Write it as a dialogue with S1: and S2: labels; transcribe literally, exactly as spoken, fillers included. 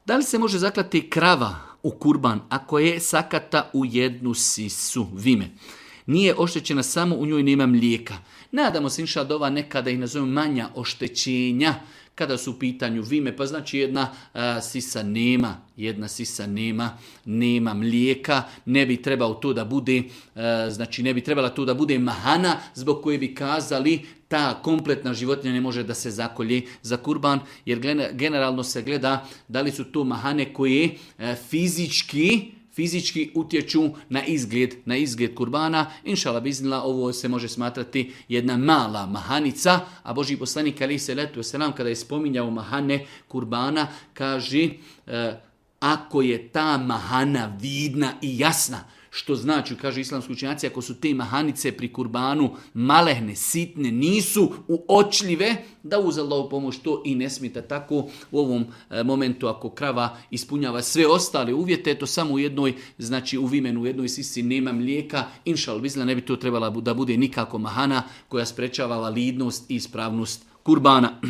S1: Da li se može zaklati krava u kurban ako je sakata u jednu sisu, vime? Nije oštećena, samo u njoj nema mlijeka. Nadamo se inša dova nekada ih nazovemo manja oštećenja kada su u pitanju vime, pa znači jedna a, sisa nema, jedna sisa nema, nema mlijeka, ne bi trebao to da bude, a, znači ne bi trebala to da bude mahana zbog koje bi kazali ta kompletna životinja ne može da se zakolje za kurban, jer generalno se gleda da li su to mahane koje a, fizički fizički utječu na izgled, na izgled kurbana. Inšala biznila, ovo se može smatrati jedna mala mahanica, a Božji poslanik alejhi selatu vesselam kada je spominjao mahane kurbana, kaže e, ako je ta mahana vidna i jasna, što znači, kaže islamski učenjaci, ako su te mahanice pri kurbanu malehne, sitne, nisu uočljive, da uz Allahovu pomoć to i ne smeta tako u ovom e, momentu ako krava ispunjava sve ostale uvjete, to samo u jednoj, znači u vimenu, u jednoj sisi nema mlijeka, inšal bizla ne bi to trebala da bude nikako mahana koja sprečava validnost i ispravnost kurbana.